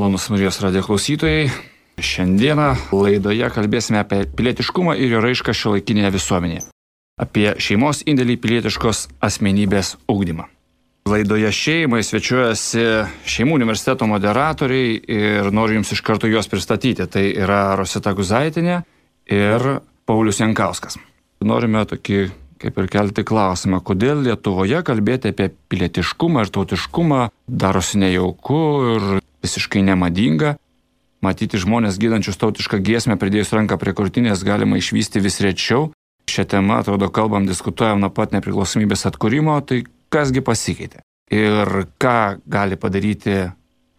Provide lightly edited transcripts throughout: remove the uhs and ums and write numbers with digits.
Malonus Marijos radijo klausytojai. Šiandieną laidoje kalbėsime apie pilietiškumą ir jo raišką šiuolaikinėje visuomenėje. Apie šeimos indėlį į pilietiškos asmenybės ugdymą. Laidoje šeimai svečiuojasi Šeimų universiteto moderatoriai ir noriu jums iš karto juos pristatyti. Tai yra Rosita Guzaitinė ir Paulius Jankauskas. Norime tokį kaip ir kelti klausimą, kodėl Lietuvoje kalbėti apie pilietiškumą ir tautiškumą darosi nejauku ir visiškai nemadinga. Matyti žmonės gydančius tautišką giesmę pridėjus ranką prie krūtinės galima išvysti vis rečiau. Šią temą, atrodo, kalbam, diskutuojam nuo pat nepriklausomybės atkūrimo, tai kasgi pasikeitė? Ir ką gali padaryti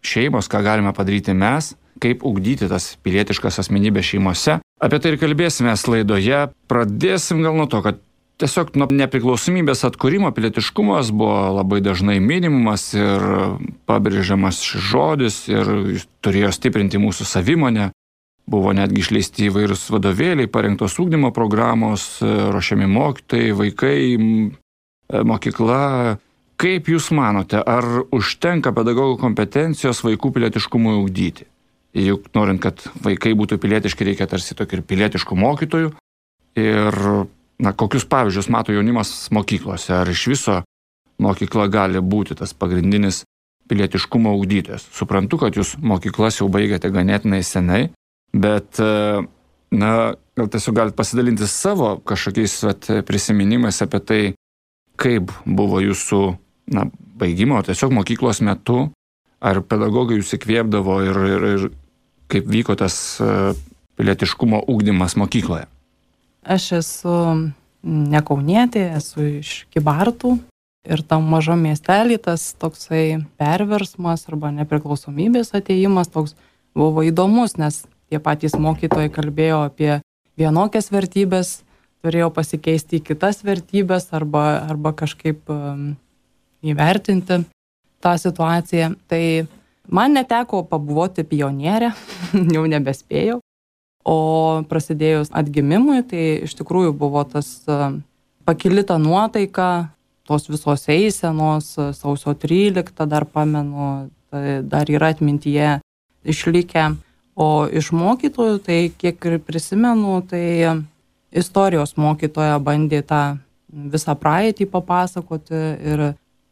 šeimos, ką galime padaryti mes, kaip ugdyti tas pilietiškas asmenybės šeimose. Apie tai ir kalbėsime laidoje. Pradėsim gal nuo to, kad tiesiog nuo nepriklausomybės atkūrimo pilietiškumas buvo labai dažnai minimumas ir pabrėžiamas šis žodis ir turėjo stiprinti mūsų savimonę. Buvo netgi išleisti įvairūs vadovėliai, parengtos ugdymo programos, ruošiami mokytojai, vaikai, mokykla. Kaip jūs manote, ar užtenka pedagogų kompetencijos vaikų pilietiškumui ugdyti? Juk norint, kad vaikai būtų pilietiški, reikia tarsi tokių ir pilietiškų mokytojų. Ir kokius pavyzdžius mato jaunimas mokyklose? Ar iš viso mokykla gali būti tas pagrindinis pilietiškumo ugdytojas? Suprantu, kad jūs mokyklas jau baigėte ganėtinai senai, bet gal tiesiog galite pasidalinti savo kažkokiais prisiminimais apie tai, kaip buvo jūsų baigimo, tiesiog mokyklos metu, ar pedagogai jūs įkvėpdavo ir kaip vyko tas pilietiškumo ugdymas mokykloje? Aš esu ne kaunietė, esu iš Kybartų ir tam mažam miestelį tas toksai perversmas arba nepriklausomybės atėjimas toks buvo įdomus, nes tie patys mokytojai kalbėjo apie vienokias vertybės, turėjo pasikeisti į kitas vertybės arba kažkaip įvertinti tą situaciją. Tai man neteko pabuvoti pionierę, jau nebespėjau. O prasidėjus atgimimui, tai iš tikrųjų buvo tas pakilita nuotaika, tos visos eisenos, sausio 13, dar pamenu, tai dar yra atmintyje išlikę. O iš mokytojų, tai kiek ir prisimenu, tai istorijos mokytoja bandė tą visą praeitį papasakoti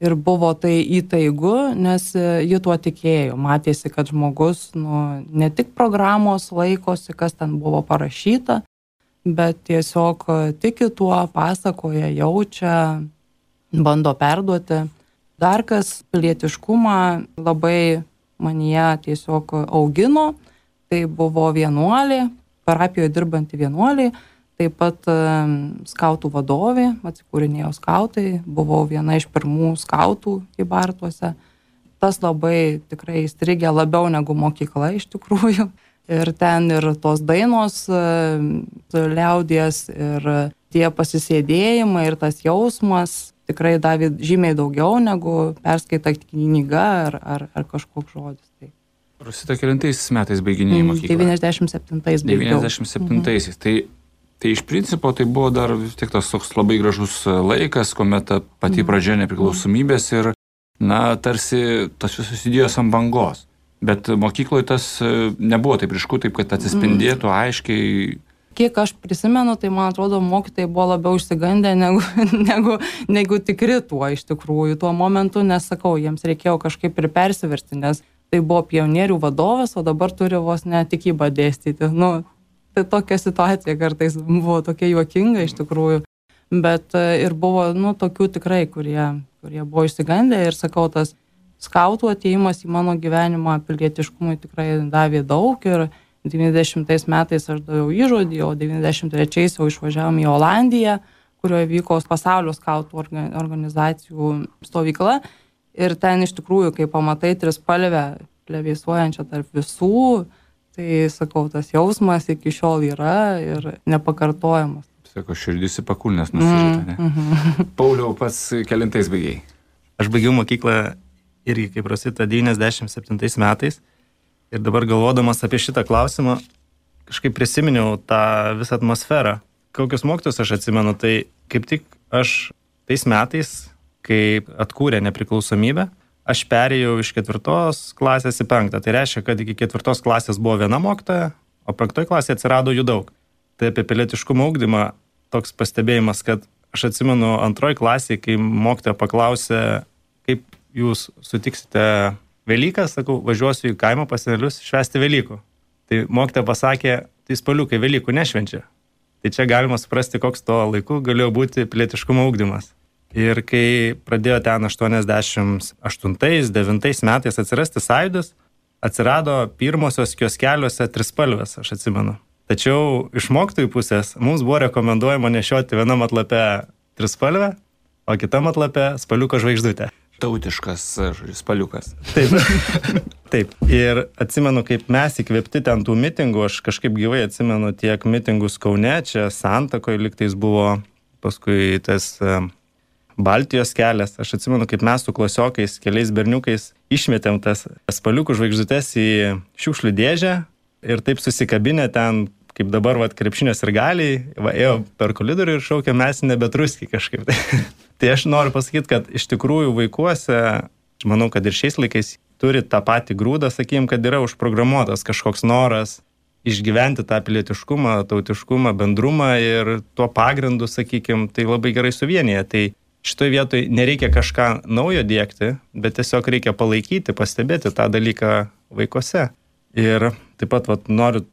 ir buvo tai įtaigu, nes ji tuo tikėjo. Matėsi, kad žmogus ne tik programos laikosi, kas ten buvo parašyta, bet tiesiog tiki tuo, pasakoja, jaučia, bando perduoti. Dar kas pilietiškumą labai manyje tiesiog augino, tai buvo vienuolė, parapijoje dirbanti vienuolė, taip pat skautų vadovė, atsikūrinėjo skautai, buvau viena iš pirmų skautų Kybartuose. Tas labai tikrai įstrigė labiau negu mokykla iš tikrųjų. Ir ten ir tos dainos liaudies, ir tie pasisėdėjimai, ir tas jausmas tikrai davė žymiai daugiau negu perskaita knyga ar kažkoks žodis. Tai. Rosita, kelintais metais baiginėjai mokyklą? 97 baigiau. 97. Tai iš principo tai buvo dar tik tas toks labai gražus laikas, kuomet pati pradžia nepriklausomybės ir, tarsi tas visos idėjos ant bangos. Bet mokykloje tas nebuvo taip ryšku, taip kad atsispindėtų aiškiai. Kiek aš prisimenu, tai man atrodo, mokytojai buvo labiau išsigandę negu tikri tuo iš tikrųjų tuo momentu, nes sakau, jiems reikėjo kažkaip ir persiversti, nes tai buvo pionierių vadovas, o dabar turi vos ne tikybą dėstyti. Tai tokia situacija kartais buvo tokia juokinga iš tikrųjų, bet ir buvo tokių tikrai, kurie buvo išsigandę ir sakau, tas skautų atėjimas į mano gyvenimą pilietiškumui tikrai davė daug ir 90 metais aš daviau įžodį, o 93 jau išvažiavom į Olandiją, kurioje vyko pasaulio skautų organizacijų stovykla ir ten iš tikrųjų, kai pamatai trispalvę plevėsuojančią tarp visų, tai, sakau, tas jausmas iki šiol yra ir nepakartojamas. Sako, širdis į pakulnes nusirita, ne? Pauliau, pats kelintais baigiai? Aš baigiau mokyklą irgi, kaip Rosita, 97 metais. Ir dabar galvodamas apie šitą klausimą, kažkaip prisiminiau tą visą atmosferą. Kokius mokytojus aš atsimenu, tai kaip tik aš tais metais, kai atkūrė nepriklausomybę, aš perėjau iš 4 klasės į 5. Tai reiškia, kad iki 4 klasės buvo viena mokytoja, o 5 klasėje atsirado jų daug. Tai apie pilietiškumo ugdymą toks pastebėjimas, kad aš atsimenu 2 klasėje, kai mokytoja paklausė, kaip jūs sutiksite Velykas, sakau, važiuosiu į kaimą pas senelius švęsti Velykų. Tai mokytoja pasakė, tai spaliukai Velykų nešvenčia. Tai čia galima suprasti, koks to laiku galėjo būti pilietiškumo ugdymas. Ir kai pradėjo ten 88-9 metais atsirasti sąjūdis, atsirado pirmosios kioskeliuose trispalvės, aš atsimenu. Tačiau iš mokytojų pusės mums buvo rekomenduojama nešioti vienam atlape trispalvę, o kitam atlape spaliuko žvaigždutę. Tautiškas spaliukas. Taip. Taip. Ir atsimenu, kaip mes įkvėpti ten tų mitingų, aš kažkaip gyvai atsimenu tiek mitingus Kaune, čia Santakoje liktais buvo, paskui tas Baltijos kelias. Aš atsimenu, kaip mes su klasiokais, keliais berniukais išmetėm tas spaliukų žvaigždutes į šiukšlių dėžę ir taip susikabinę ten, kaip dabar krepšinio sirgaliai, ėjo per koridorių ir šaukė, mes nebetruski kažkaip. Tai aš noriu pasakyti, kad iš tikrųjų vaikuose, aš manau, kad ir šiais laikais turi tą patį grūdą, sakym, kad yra užprogramuotas kažkoks noras išgyventi tą pilietiškumą, tautiškumą, bendrumą ir tuo pagrindu, sakykime, tai labai gerai suvienyje. Tai šitoje vietoje nereikia kažką naujo dėkti, bet tiesiog reikia palaikyti, pastebėti tą dalyką vaikuose. Ir taip pat noriu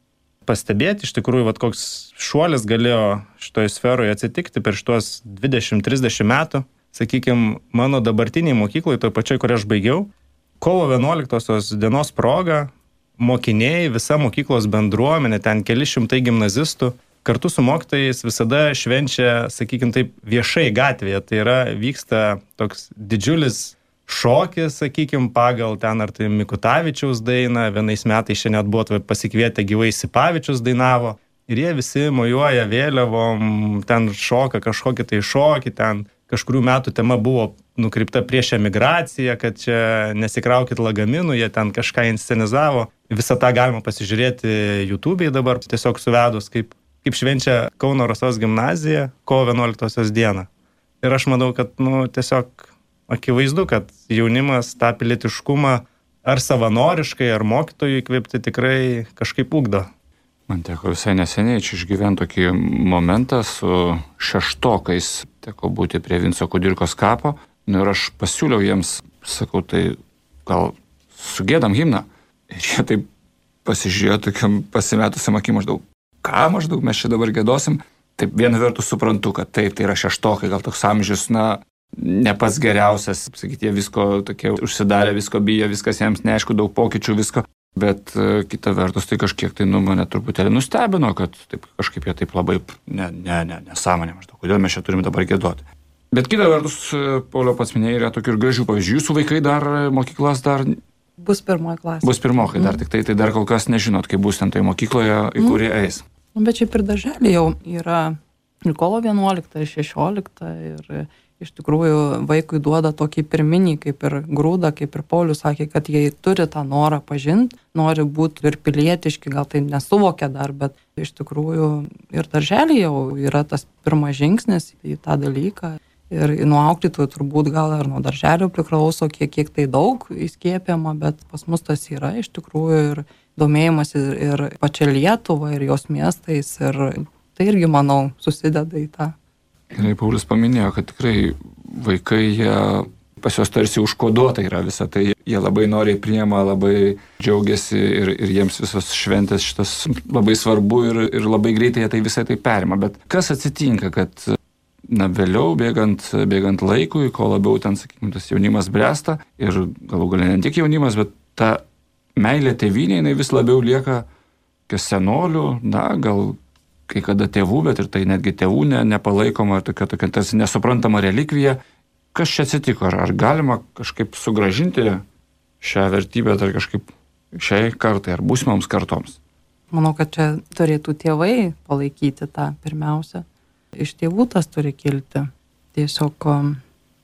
pastebėti, iš tikrųjų, koks šuolis galėjo šitoje sferoje atsitikti per šitos 20-30 metų. Sakykime, mano dabartiniai mokykloje, toje pačioj, kur aš baigiau, kovo 11 dienos proga, mokiniai, visa mokyklos bendruomenė, ten keli šimtai gimnazistų, kartu su mokytojais visada švenčia, sakykime taip, viešai gatvėje. Tai yra, vyksta toks didžiulis šokis, sakykime, pagal ten ar tai Mikutavičiaus dainą, vienais metais šiandien net buvo pasikvietę gyvai Sipavičius dainavo ir jie visi mojuoja vėliavom, ten šoka kažkokį tai šokį, ten kažkurių metų tema buvo nukreipta prieš emigraciją, kad čia nesikraukit lagaminų, jie ten kažką inscenizavo. Visą tą galima pasižiūrėti YouTube'ai dabar, tiesiog suvedus, kaip švenčia Kauno Rasos gimnazija kovo 11 dieną. Ir aš manau, kad tiesiog akivaizdu, kad jaunimas tą pilietiškumą ar savanoriškai, ar mokytojų įkvėpti tikrai kažkaip ugdo. Man teko visai neseniai čia išgyventi tokį momentą su 6-okais, teko būti prie Vinco Kudirkos kapo, ir aš pasiūliau jiems, sakau, tai gal sugėdam himną. Ir jie taip pasižiūrėjo tokiam pasimetusiam akim maždaug, ką maždaug mes čia dabar gėdosim. Taip viena vertus suprantu, kad tai yra 6-okai, gal toks amžius, ne pats geriausias, sakyti, jie visko tokie užsidarė, visko bijo, viskas jiems neaišku, daug pokyčių, visko. Bet kita vertus, tai kažkiek tai mane truputėlį nustebino, kad taip, kažkaip jie taip labai nesąmonė maždaug, kodėl mes čia turime dabar gėdoti. Bet kita vertus, Pauliau pats minėjai, yra tokių ir gražių pavyzdžių. Jūsų vaikai dar mokyklas dar... Bus 1 klasė. Bus 1-okai dar, tik tai dar kol kas nežinot, kaip bus ten tai mokykloje, į kurį eis. Bet šiaip ir darželį jau yra ir kovo 11, ir 16 ir... Iš tikrųjų, vaikui duoda tokį pirminį, kaip ir grūdą, kaip ir Paulius sakė, kad jie turi tą norą pažinti, nori būti ir pilietiški, gal tai nesuvokia dar, bet iš tikrųjų ir darželį jau yra tas pirmas žingsnis į tą dalyką. Ir nuo auklėtojų turbūt gal ir nuo darželio priklauso, kiek tai daug įskiepiama, bet pas mus tas yra iš tikrųjų ir domėjimas ir pačia Lietuva, ir jos miestais, ir tai irgi, manau, susideda į tą. Gerai, Paulius paminėjo, kad tikrai vaikai, pas juos tarsi užkoduota yra visą, tai jie labai noriai priima, labai džiaugiasi ir jiems visos šventės šitas labai svarbu ir labai greitai jie tai visai tai perima. Bet kas atsitinka, kad vėliau bėgant laikui, ko labiau ten, sakykime, tas jaunimas bręsta ir galų galia ne tik jaunimas, bet ta meilė tėvynė, jinai vis labiau lieka senolių, gal kai kada tėvų, bet ir tai netgi tėvų nepalaikoma, tokia tarsi nesuprantama relikvija. Kas čia atsitiko? Ar galima kažkaip sugrąžinti šią vertybę, ar kažkaip šiai kartai, ar būsimoms kartoms? Manau, kad čia turėtų tėvai palaikyti tą pirmiausia. Iš tėvų tas turi kilti. Tiesiog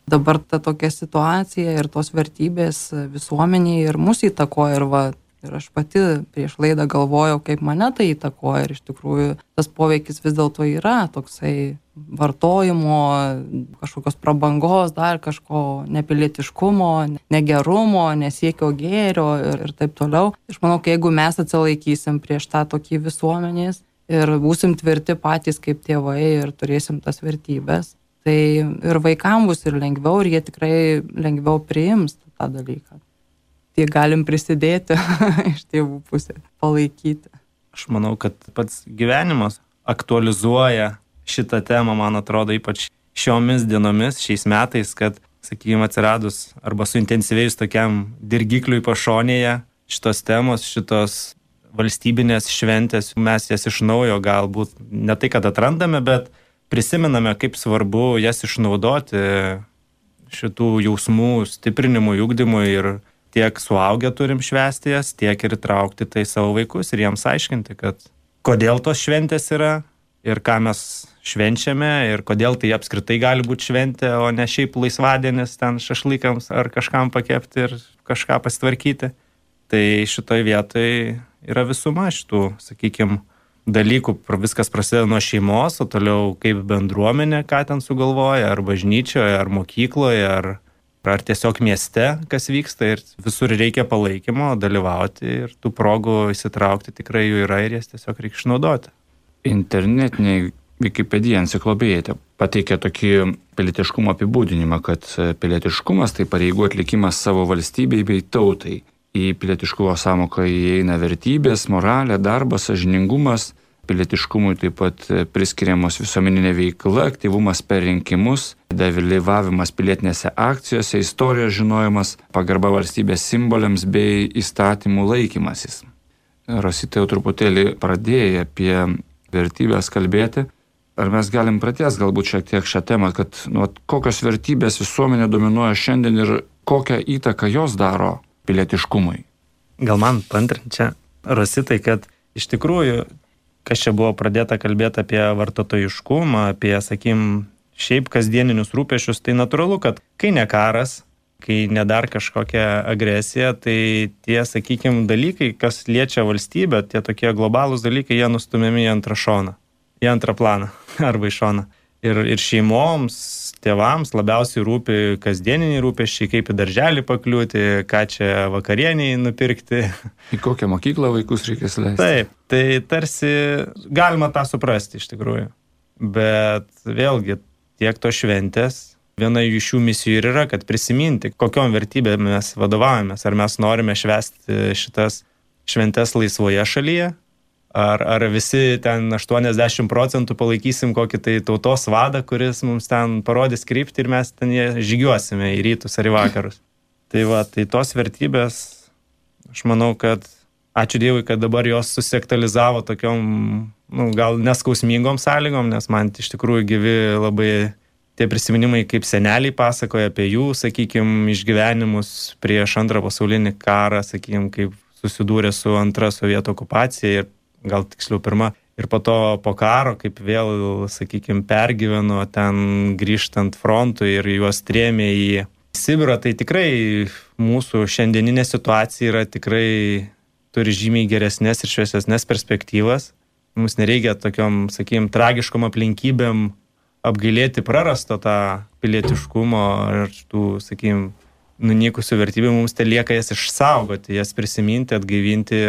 dabar ta tokia situacija ir tos vertybės visuomenėje ir mus įtakoja ir aš pati prieš laidą galvojau, kaip mane tai įtakoja ir iš tikrųjų tas poveikis vis dėlto yra toksai vartojimo, kažkokios prabangos, dar kažko nepilietiškumo, negerumo, nesiekio gėrio ir taip toliau. Aš manau, kad jeigu mes atsilaikysim prieš tą tokį visuomenės ir būsim tvirti patys kaip tėvai ir turėsim tas vertybės, tai ir vaikams bus ir lengviau, ir jie tikrai lengviau priims tą dalyką. Tai galim prisidėti iš tėvų pusės, palaikyti. Aš manau, kad pats gyvenimas aktualizuoja šitą temą, man atrodo, ypač šiomis dienomis, šiais metais, kad, sakykime, atsiradus arba suintensyvėjus tokiam dirgikliui pašonėje šitos temos, šitos valstybinės šventės, mes jas iš naujo galbūt ne tai, kad atrandame, bet prisimename, kaip svarbu jas išnaudoti šitų jausmų stiprinimui, ugdymui, ir tiek suaugę turim švęsti jas, tiek ir traukti tai savo vaikus ir jiems aiškinti, kad kodėl tos šventės yra ir ką mes švenčiame ir kodėl tai apskritai gali būti šventė, o ne šiaip laisvadienis ten šašlykams ar kažkam pakepti ir kažką pasitvarkyti. Tai šitoj vietoj yra visuma šitų, sakykime, dalykų. Viskas prasideda nuo šeimos, o toliau kaip bendruomenė, ką ten sugalvoja, ar bažnyčioje, ar mokykloje, ar tiesiog mieste, kas vyksta, ir visur reikia palaikymo, dalyvauti ir tų progų įsitraukti tikrai jų yra ir jas tiesiog reikia išnaudoti. Internetiniai Wikipedia enciklopedija pateikia tokį pilietiškumo apibūdinimą, kad pilietiškumas tai pareigų atlikimas savo valstybei bei tautai. Į pilietiškumo sąmoką įeina vertybės, moralė, darbas, sąžiningumas. Pilietiškumui taip pat priskiriamos visuomeninė veikla, aktyvumas per rinkimus, dalyvavimas pilietinėse akcijose, istorijos žinojimas, pagarba valstybės simboliams bei įstatymų laikymasis. Rosita jau truputėlį pradėjo apie vertybės kalbėti. Ar mes galim pratęsti galbūt šiek tiek šią temą, kad kokios vertybės visuomenė dominuoja šiandien ir kokią įtaką jos daro pilietiškumui? Gal man paantrinti čia, Rositai, kad iš tikrųjų, kas čia buvo pradėta kalbėti apie vartotojiškumą, apie, sakykim, šiaip kasdieninius rūpesčius, tai natūralu, kad kai ne karas, kai ne dar kažkokia agresija, tai tie, sakykim, dalykai, kas liečia valstybę, tie tokie globalūs dalykai, jie nustumiami į antrą šoną, į antrą planą arba į šoną. Ir šeimoms, tėvams labiausiai rūpi kasdieniniai rūpesčiai, kaip į darželį pakliūti, ką čia vakarieniai nupirkti. Į kokią mokyklą vaikus reikės leisti. Taip, tai tarsi galima tą suprasti iš tikrųjų. Bet vėlgi, tiek to šventės, viena iš jų misijų ir yra, kad prisiminti, kokiom vertybėm mes vadovaujamės. Ar mes norime švęsti šitas šventes laisvoje šalyje, ar visi ten 80% palaikysim kokį tai tautos vadą, kuris mums ten parodys kryptį ir mes ten žygiuosime į rytus ar į vakarus. Tai tos vertybės, aš manau, kad ačiū Dievui, kad dabar jos susiaktualizavo tokiom, gal neskausmingom sąlygom, nes man iš tikrųjų gyvi labai tie prisiminimai, kaip seneliai pasakoja apie jų, sakykime, išgyvenimus prieš antrą pasaulinį karą, sakykime, kaip susidūrė su antra sovietų okupacija ir gal tiksliau pirma. Ir po to po karo, kaip vėl, sakykime, pergyveno ten grįžtant frontui ir juos trėmė į Sibirą, tai tikrai mūsų šiandieninė situacija yra tikrai turi žymiai geresnės ir šviesesnės perspektyvas. Mums nereikia tokiom, sakykime, tragiškom aplinkybėm apgailėti prarasto tą pilietiškumo ir tų, sakykime, nunykusių vertybių. Mums te lieka jas išsaugoti, jas prisiminti, atgaivinti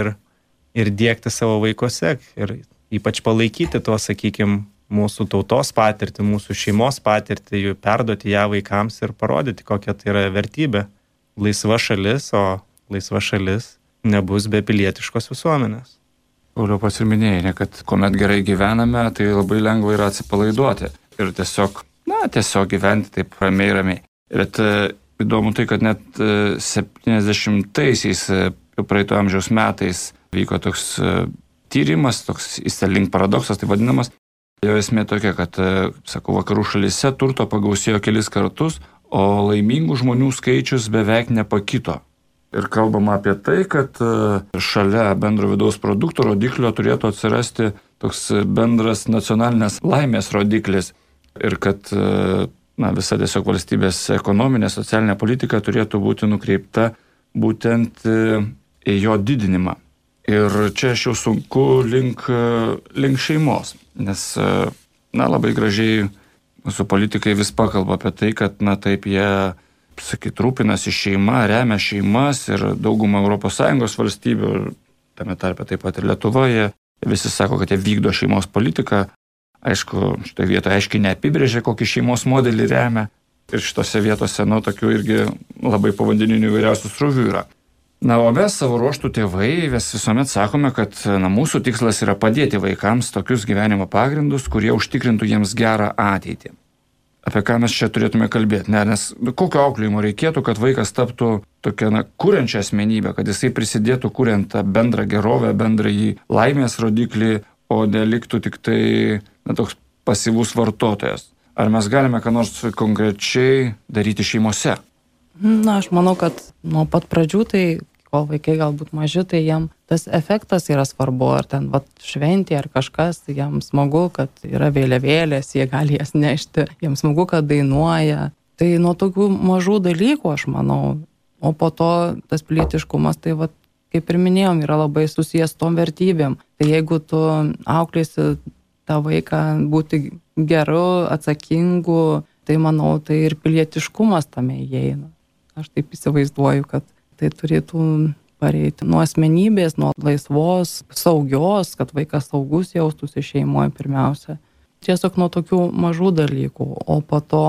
ir diegti savo vaikuose ir ypač palaikyti tuos, sakykime, mūsų tautos patirtį, mūsų šeimos patirtį, jų perduoti ją vaikams ir parodyti, kokia tai yra vertybė. Laisva šalis, o laisva šalis nebus be pilietiškos visuomenės. Pauliau, pats ir minėjai, kad kuomet gerai gyvename, tai labai lengva yra atsipalaiduoti ir tiesiog gyventi taip ramiai. Bet įdomu tai, kad net 70-aisiais praeito amžiaus metais vyko toks tyrimas, toks Easterlink paradoksas, tai vadinamas. Jo esmė tokia, kad, vakarų šalyse turto pagausėjo kelis kartus, o laimingų žmonių skaičius beveik nepakito. Ir kalbama apie tai, kad šalia bendro vidaus produkto rodiklio turėtų atsirasti toks bendras nacionalinės laimės rodiklis. Ir kad visa tiesiog valstybės ekonominė, socialinė politika turėtų būti nukreipta būtent į jo didinimą. Ir čia aš jau sunku link šeimos, nes labai gražiai Mūsų politikai vis pakalba apie tai, kad, na taip, jie, sakyt, rūpinasi šeima, remia šeimas ir daugumą ES valstybių, tame tarpe taip pat ir Lietuvoje, visi sako, kad jie vykdo šeimos politiką. Aišku, šitoje vietoje aiškiai neapibrėžia, kokį šeimos modelį remia. Ir šitose vietose, tokių irgi labai povandeninių įvairiausių srovių yra. Na, o mes savo ruoštų tėvai visuomet sakome, kad mūsų tikslas yra padėti vaikams tokius gyvenimo pagrindus, kurie užtikrintų jiems gerą ateitį. Apie ką mes čia turėtume kalbėti? Nes kokio auklėjimo reikėtų, kad vaikas taptų tokia, kuriančią asmenybę, kad jisai prisidėtų kuriant tą bendrą gerovę, bendrąjį laimės rodiklį, o neliktų tik tai toks pasyvus vartotojas. Ar mes galime ką nors konkrečiai daryti šeimose? Na, aš manau, kad nuo pat pradžių, tai kol vaikai galbūt maži, tai jiem tas efektas yra svarbu, ar ten šventė ar kažkas, tai jiem smagu, kad yra vėliavėlės, jie gali jas nešti, jiem smagu, kad dainuoja. Tai nuo tokių mažų dalykų, aš manau, o po to tas pilietiškumas, tai kaip ir minėjom, yra labai susijęs tom vertybėm. Tai jeigu tu auklėsi tą vaiką būti geru, atsakingu, tai manau, tai ir pilietiškumas tame įeina. Aš taip įsivaizduoju, kad tai turėtų pareiti nuo asmenybės, nuo laisvos, saugios, kad vaikas saugus jaustųsi šeimoje pirmiausia. Tiesiog nuo tokių mažų dalykų, o po to,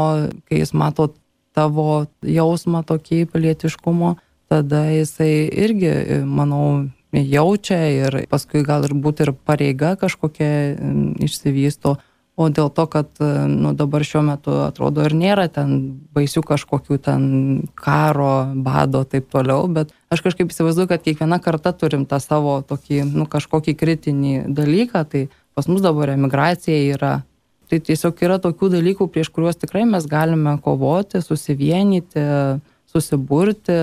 kai jis mato tavo jausmą tokį pilietiškumo, tada jisai irgi, manau, jaučia ir paskui gal ir būti ir pareiga kažkokia išsivysto. O dėl to, kad dabar šiuo metu atrodo ir nėra ten baisių kažkokių ten karo, bado, taip toliau, bet aš kažkaip įsivaizduoju, kad kiekviena karta turim tą savo tokį, kažkokį kritinį dalyką, tai pas mus dabar emigracija yra. Tai tiesiog yra tokių dalykų, prieš kuriuos tikrai mes galime kovoti, susivienyti, susiburti.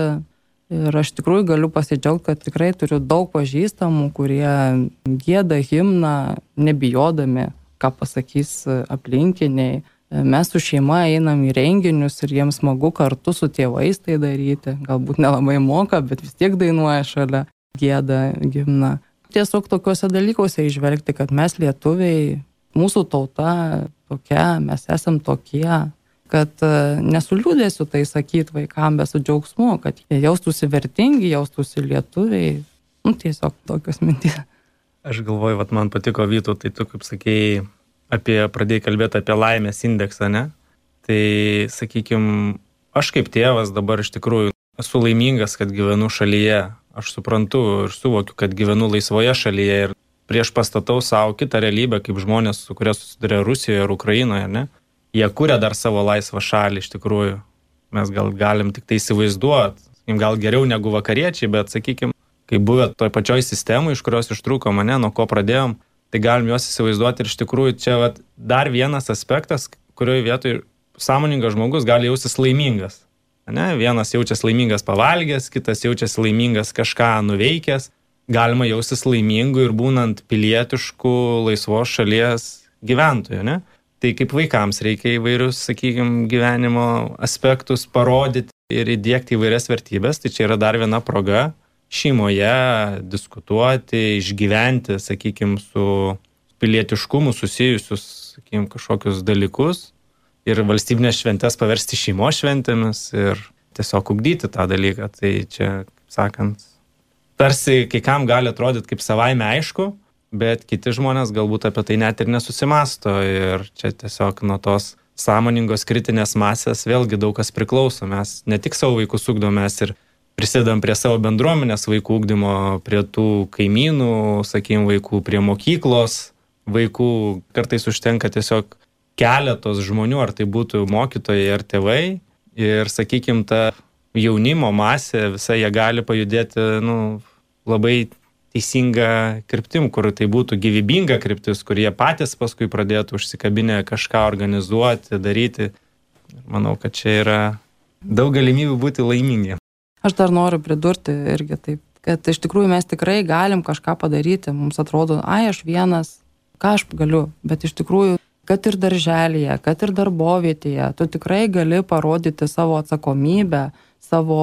Ir aš tikrųjų galiu pasidžiaugti, kad tikrai turiu daug pažįstamų, kurie gieda himną, nebijodami, ką pasakys aplinkiniai. Mes su šeima einam į renginius ir jiems smagu kartu su tėvais tai daryti. Galbūt nelabai moka, bet vis tiek dainuoja šalia, gieda himną. Tiesiog tokiuose dalykuose išvelgti, kad mes lietuviai, mūsų tauta tokia, mes esam tokie, kad nesuliūdėsiu tai sakyti vaikam, bet su džiaugsmu, kad jie jaustųsi vertingi, jaustųsi lietuviai. Tiesiog tokios mintys. Aš galvoju, man patiko Vytu, tai tu, kaip sakėjai, pradėjai kalbėti apie laimės indeksą, ne? Tai, sakykime, aš kaip tėvas dabar iš tikrųjų esu laimingas, kad gyvenu šalyje. Aš suprantu ir suvokiu, kad gyvenu laisvoje šalyje ir prieš pastatau savo kitą realybę, kaip žmonės, su kuria susiduria Rusijoje ir Ukrainoje, ne? Jie kuria dar savo laisvą šalį iš tikrųjų. Mes gal galim tik tai įsivaizduoti, gal geriau negu vakariečiai, bet, sakykime, kai buvę toj pačioj sistemai, iš kurios ištrūko mane, nuo ko pradėjom, tai galim juos įsivaizduoti ir iš tikrųjų čia dar vienas aspektas, kurioje vietoje sąmoningas žmogus gali jaustis laimingas. Ne? Vienas jaučiasi laimingas pavalgęs, kitas jaučiasi laimingas kažką nuveikęs. Galima jaustis laimingu ir būnant pilietišku laisvos šalies gyventoju. Ne? Tai kaip vaikams reikia įvairius, sakykime, gyvenimo aspektus parodyti ir įdiegti įvairias vertybės, tai čia yra dar viena proga šeimoje diskutuoti, išgyventi, sakykime, su pilietiškumu susijusius, sakykime, kažkokius dalykus ir valstybinės šventės paversti šeimos šventėmis ir tiesiog ugdyti tą dalyką. Tai čia, sakant, tarsi kai kam gali atrodyti kaip savaime aišku, bet kiti žmonės galbūt apie tai net ir nesusimasto ir čia tiesiog nuo tos sąmoningos kritinės masės vėlgi daug kas priklauso. Mes ne tik savo vaikus ugdome, mes ir prisidedam prie savo bendruomenės vaikų ugdymo, prie tų kaimynų, sakykime, vaikų, prie mokyklos vaikų. Kartais užtenka tiesiog keletos žmonių, ar tai būtų mokytojai ar tėvai. Ir, sakykime, ta jaunimo masė, visai jie gali pajudėti labai teisinga kryptim, kur tai būtų gyvybinga kryptis, kur jie patys paskui pradėtų užsikabinę kažką organizuoti, daryti. Manau, kad čia yra daug galimybių būti laimingi. Aš dar noriu pridurti irgi taip, kad iš tikrųjų mes tikrai galim kažką padaryti. Mums atrodo, aš vienas, ką aš galiu, bet iš tikrųjų, kad ir darželyje, kad ir darbovietėje, tu tikrai gali parodyti savo atsakomybę, savo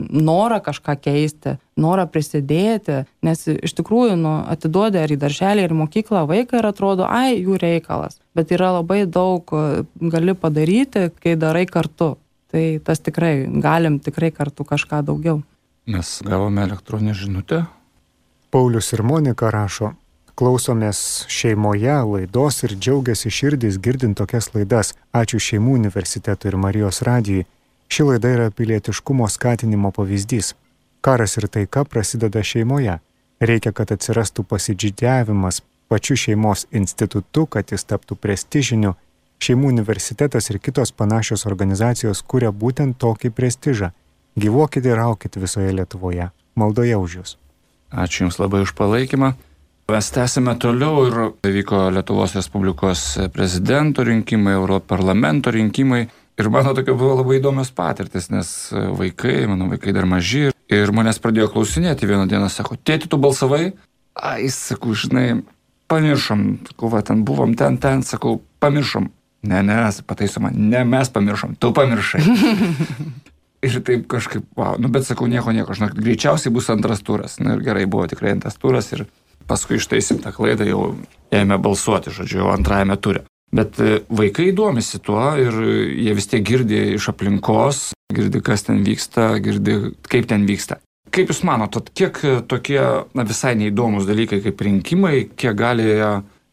norą kažką keisti, norą prisidėti, nes iš tikrųjų atiduodi ar į darželį, ar į mokyklą vaiką ir atrodo, jų reikalas. bet yra labai daug gali padaryti, kai darai kartu. Tai tas tikrai, galim tikrai kartu kažką daugiau. Mes gavome elektroninę žinutę. Paulius ir Monika rašo, klausomės šeimoje laidos ir džiaugiasi širdis girdint tokias laidas. Ačiū Šeimų universitetui ir Marijos radijui. Ši laida yra pilietiškumo skatinimo pavyzdys. Karas ir taika prasideda šeimoje. Reikia, kad atsirastų pasidžydiavimas pačiu šeimos institutu, kad jis taptų prestižiniu. Šeimų universitetas ir kitos panašios organizacijos kuria būtent tokį prestižą. Gyvuokite ir aukite visoje Lietuvoje. Maldoje už jūs. Ačiū Jums labai už palaikymą. Mes tęsime toliau ir vyko Lietuvos Respublikos prezidento rinkimai, Europarlamento rinkimai. Ir mano tokia buvo labai įdomios patirtis, nes mano vaikai dar maži. Ir manęs pradėjo klausinėti vieną dieną, sako, tėti, tu balsavai? Ai, sakau, žinai, pamiršom. Sakau, va, ten buvom, ten, sakau, pamiršom. Ne, pataiso man, ne, mes pamiršom, tu pamiršai. Ir taip kažkaip, wow, bet sakau, nieko, žinok, greičiausiai bus antras turas. Ir gerai, buvo tikrai antras turas ir paskui ištaisim tą klaidą, jau ėmė balsuoti, žodžiu, antrajame ture. Bet vaikai domisi tuo ir jie vis tiek girdi iš aplinkos, girdi, kas ten vyksta, girdi, kaip ten vyksta. Kaip Jūs manote, kiek tokie visai neįdomus dalykai kaip rinkimai, kiek gali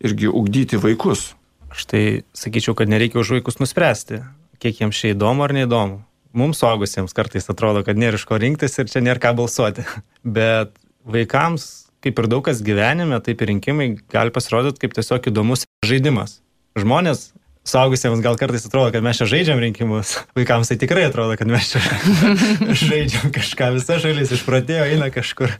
irgi ugdyti vaikus? Aš tai sakyčiau, kad nereikia už vaikus nuspręsti, kiek jiems čia įdomu ar neįdomu. Mums suaugusiems kartais atrodo, kad nėra iš ko rinktis ir čia nėra ką balsuoti. Bet vaikams, kaip ir daug kas gyvenime, taip ir rinkimai gali pasirodyti kaip tiesiog įdomus žaidimas. Žmonės suaugusiems gal kartais atrodo, kad mes čia žaidžiam rinkimus. Vaikams tai tikrai atrodo, kad mes čia žaidžiam kažką. Visa šalis išpratėjo, eina kažkur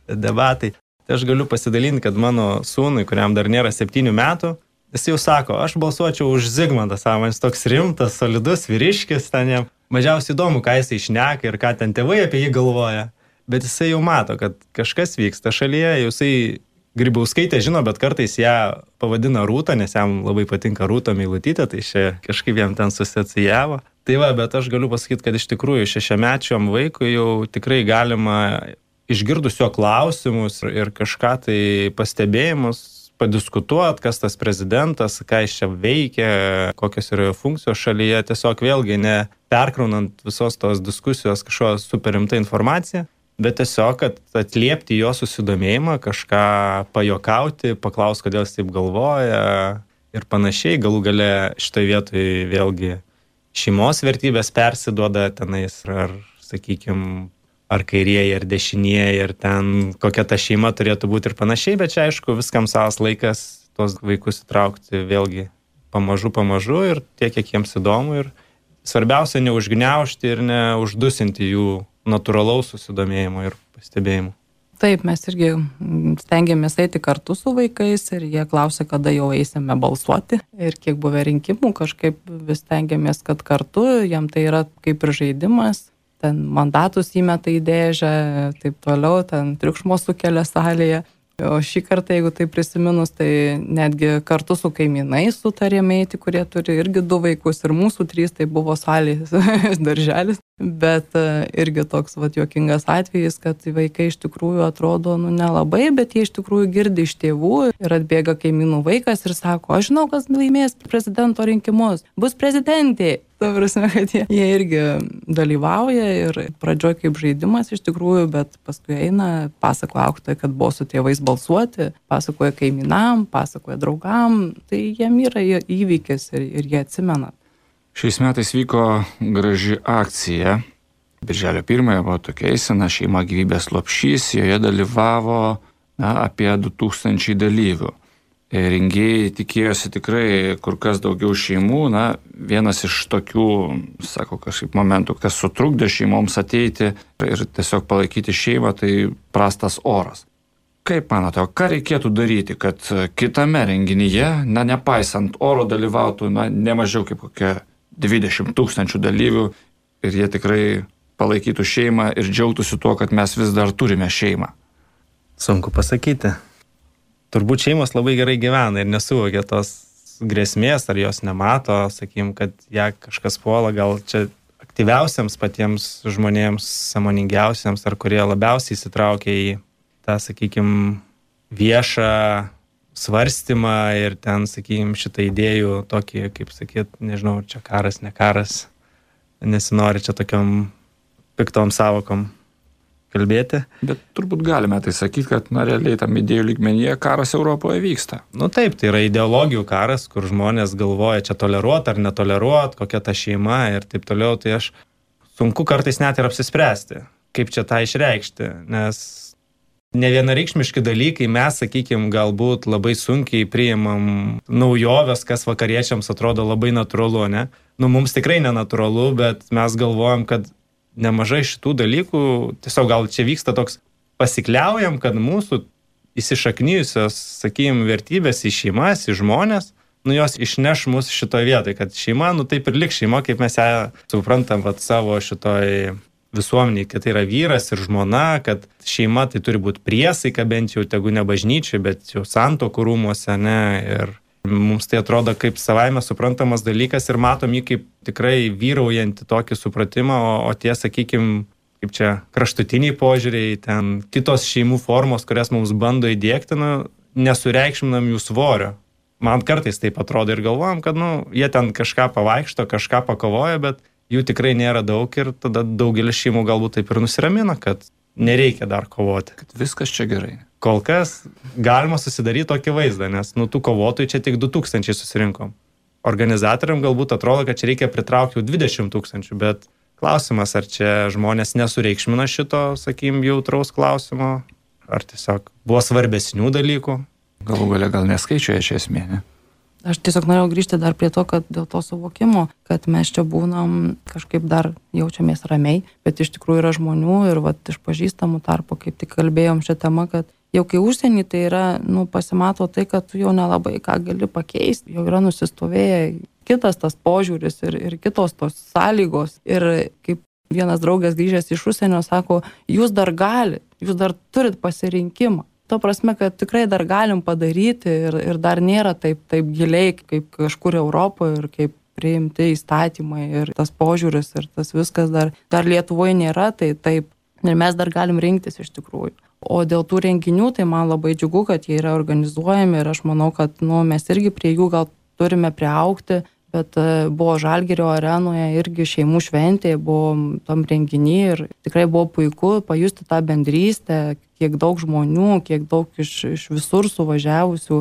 debatai. Tai aš galiu pasidalinti, kad mano sūnui, kuriam dar nėra 7 metų, jis jau sako, aš balsuočiau už Zigmantą, savo, jis toks rimtas, solidus vyriškis, ten jam mažiausiai įdomu, ką jisai šneka ir ką ten tėvai apie jį galvoja. Bet jisai jau mato, kad kažkas vyksta šalyje, jisai Grybauskaitė žino, bet kartais ją pavadina Rūta, nes jam labai patinka Rūta Meilutytė, tai čia kažkaip jam ten susiacijavo. Tai va, bet aš galiu pasakyti, kad iš tikrųjų 6-mečiam vaikui jau tikrai galima išgirdus jo klausimus ir kažką tai pastebėjimus, padiskutuot, kas tas prezidentas, ką jis čia veikia, kokios yra jo funkcijos šalyje, tiesiog vėlgi ne perkraunant visos tos diskusijos kažko super rimta informacija, bet tiesiog, kad atliepti jo susidomėjimą, kažką pajokauti, paklausti, kodėl jis taip galvoja ir panašiai. Galų gale šitoje vietoje vėlgi šeimos vertybės persiduoda tenais, ar, sakykime, ar kairieji, ar dešinieji, ar ten kokia ta šeima turėtų būti ir panašiai, bet čia aišku, viskam savas laikas tos vaikus įtraukti vėlgi pamažu ir tiek, kiek jiems įdomu. Ir svarbiausia neužgniaužti ir neuždusinti jų natūralaus susidomėjimo ir pastebėjimo. Taip, mes irgi stengiamės eiti kartu su vaikais ir jie klausia, kada jau eisime balsuoti ir kiek buvę rinkimų, kažkaip vis stengiamės, kad kartu, jam tai yra kaip ir žaidimas, ten mandatus įmeta į dėžę, taip toliau, ten triukšmo sukelia salėje. O šį kartą, jeigu tai prisiminus, tai netgi kartu su kaimynais sutarėme eiti, kurie turi irgi 2 vaikus ir mūsų 3, tai buvo salės darželis. Bet irgi toks juokingas atvejis, kad vaikai iš tikrųjų atrodo nelabai, bet jie iš tikrųjų girdi iš tėvų ir atbėga kaimynų vaikas ir sako, aš žinau, kas laimės prezidento rinkimus, bus prezidentė. Ta prasme, kad jie irgi dalyvauja ir pradžioj kaip žaidimas iš tikrųjų, bet paskui eina, pasakoja auklėtojai, kad buvo su tėvais balsuoti, pasakoja kaimynam, pasakoja draugam, tai jiem yra įvykis ir jie atsimena. Šiais metais vyko graži akcija. Birželio 1 buvo tokia eisena šeima gyvybės lopšys, joje dalyvavo apie 2000 dalyvių. Rengėjai tikėjosi tikrai kur kas daugiau šeimų. Vienas iš tokių, sako, kažkaip momentų, kas sutrukdė šeimoms ateiti ir tiesiog palaikyti šeimą, tai prastas oras. Kaip manote, ką reikėtų daryti, kad kitame renginyje, nepaisant oro, dalyvautų ne mažiau kaip kokia 20 000 dalyvių ir jie tikrai palaikytų šeimą ir džiaugtųsi tuo, kad mes vis dar turime šeimą? Sunku pasakyti. Turbūt šeimos labai gerai gyvena ir nesuvokia tos grėsmės, ar jos nemato, sakykim, kad ją kažkas puola, gal čia aktyviausiams patiems žmonėms, sąmoningiausiams, ar kurie labiausiai įsitraukia į tą, sakykim, viešą svarstymą ir ten, sakykime, šitą idėjų tokį, kaip sakyt, nežinau, čia karas, ne karas, nesinori čia tokiom piktom savokom kalbėti. Bet turbūt galime tai sakyti, kad realiai tam idėjų lygmenyje karas Europoje vyksta. Taip, tai yra ideologijų karas, kur žmonės galvoja čia toleruot ar netoleruot, kokia ta šeima ir taip toliau, tai aš sunku kartais net ir apsispręsti, kaip čia tą išreikšti, nes nevienareikšmiški dalykai, mes, sakykime, galbūt labai sunkiai priimam naujoves, kas vakariečiams atrodo labai natūralu, ne? Mums tikrai nenatūralu, bet mes galvojam, kad nemažai šitų dalykų, tiesiog gal čia vyksta toks pasikliaujam, kad mūsų įsišaknyjusios, sakykime, vertybės į šeimas, į žmonės, jos išneš mus šitoje vietoje, kad šeima, taip ir liks šeima, kaip mes ją suprantam savo šitoj visuomeniai, kad tai yra vyras ir žmona, kad šeima tai turi būti priesaika, bent jau tegu ne bažnyčiai, bet jau santuokų rūmuose, ne, ir mums tai atrodo kaip savaime suprantamas dalykas ir matom jį kaip tikrai vyraujantį tokį supratimą, o tie, sakykime, kaip čia kraštutiniai požiūriai, ten kitos šeimų formos, kurias mums bando įdiegti, nesureikšminam jų svorio. Man kartais taip atrodo ir galvojam, kad jie ten kažką pavaikšto, kažką pakovoja, bet jų tikrai nėra daug ir tada daugelis šeimų galbūt taip ir nusiramina, kad nereikia dar kovoti. Kad viskas čia gerai. Kol kas galima susidaryti tokį vaizdą, nes tų kovotojų čia tik 2000 susirinkom. Organizatoriam galbūt atrodo, kad čia reikia pritraukti jau 20 000, bet klausimas, ar čia žmonės nesureikšmina šito, sakykim, jautraus klausimo, ar tiesiog buvo svarbesnių dalykų. Galų galia gal neskaičiuoja čia esmė, ne? Aš tiesiog norėjau grįžti dar prie to, kad dėl to suvokimo, kad mes čia būnam kažkaip dar jaučiamės ramiai, bet iš tikrųjų yra žmonių ir iš pažįstamų tarpo, kaip tik kalbėjom šią temą, kad jau kai užsienį tai yra, pasimato tai, kad tu jau nelabai ką gali pakeisti, jau yra nusistovėję kitas tas požiūris ir kitos tos sąlygos. Ir kaip vienas draugas grįžęs iš užsienio sako, jūs dar galite, jūs dar turit pasirinkimą. To prasme, kad tikrai dar galim padaryti ir dar nėra taip giliai, kaip kažkur Europoje ir kaip priimti įstatymai ir tas požiūris ir tas viskas dar Lietuvoje nėra, tai taip. Ir mes dar galim rinktis iš tikrųjų. O dėl tų renginių, tai man labai džiugu, kad jie yra organizuojami ir aš manau, kad mes irgi prie jų gal turime priaugti, bet buvo Žalgirio arenoje irgi šeimų šventė, buvo tam renginį ir tikrai buvo puiku pajusti tą bendrystę, kiek daug žmonių, kiek daug iš visur suvažiavusių.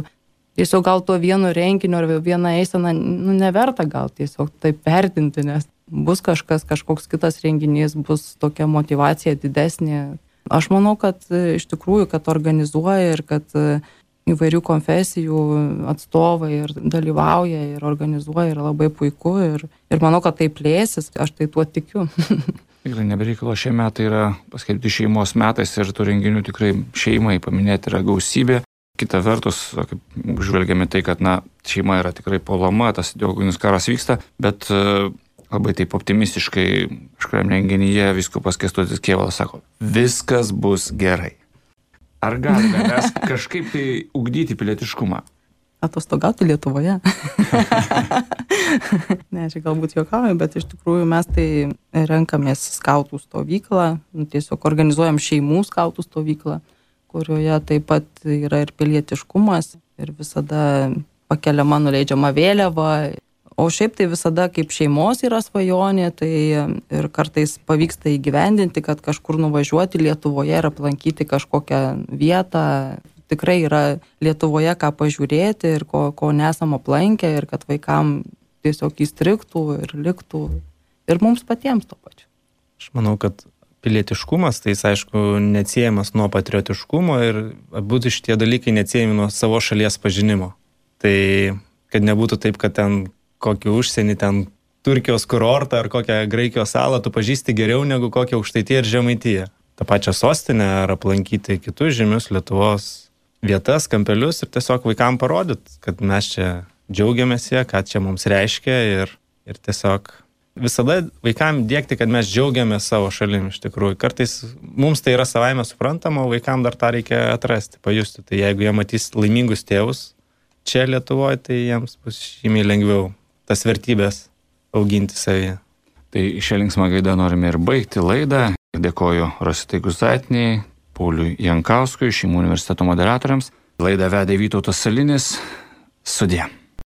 Tiesiog gal to vieno renginio ar vieną eiseną neverta gal tiesiog taip vertinti, nes bus kažkoks kitas renginys, bus tokia motyvacija didesnė. Aš manau, kad iš tikrųjų, kad organizuoja ir kad įvairių konfesijų atstovai ir dalyvauja ir organizuoja yra labai puiku ir manau, kad tai plėsis, aš tai tuo tikiu. Tikrai nebereikalo, šie metai yra paskelbti šeimos metais ir tų renginių tikrai šeimai paminėti yra gausybė. Kita vertus, kaip žvelgiame tai, kad šeima yra tikrai puolama, tas ideologinis karas vyksta, bet labai taip optimistiškai kažkuriam renginyje vyskupas Kęstutis Kėvalas sako, viskas bus gerai. Ar galime mes kažkaip tai ugdyti pilietiškumą? Atostogauti Lietuvoje. Ne, čia galbūt juokauju, bet iš tikrųjų mes tai renkamės skautų stovyklą, tiesiog organizuojam šeimų skautų stovyklą, kurioje taip pat yra ir pilietiškumas ir visada pakeliama nuleidžiama vėliava. O šiaip tai visada kaip šeimos yra svajonė, tai ir kartais pavyksta įgyvendinti, kad kažkur nuvažiuoti Lietuvoje ir aplankyti kažkokią vietą. Tikrai yra Lietuvoje ką pažiūrėti ir ko nesam aplankę ir kad vaikam tiesiog įstrigtų ir liktų ir mums patiems to pačiu. Aš manau, kad pilietiškumas, tai jis aišku neatsiejamas nuo patriotiškumo ir abu šitie dalykai neatsiejami nuo savo šalies pažinimo. Tai kad nebūtų taip, kad ten kokį užsienį, ten Turkijos kurortą ar kokią Graikijos salą tu pažįsti geriau negu kokią Aukštaitiją ir Žemaitiją. Ta pačią sostinę ar aplankyti kitus žymius Lietuvos vietas, kampelius ir tiesiog vaikam parodyti, kad mes čia džiaugiamės jie, ką čia mums reiškia ir tiesiog visada vaikam diegti, kad mes džiaugiamės savo šalim iš tikrųjų. Kartais mums tai yra savaime suprantama, o vaikam dar tą reikia atrasti, pajusti. Tai jeigu jie matys laimingus tėvus čia Lietuvoje, tai jiems bus žymiai lengviau tas vertybės auginti savyje. Tai šią linksmą gaidą norime ir baigti laidą. Dėkoju Rositai Guzaitiniai, Pauliui Jankauskui, Šeimų universiteto moderatoriams. Laidą vedė Vytautas Salinis. Sudie.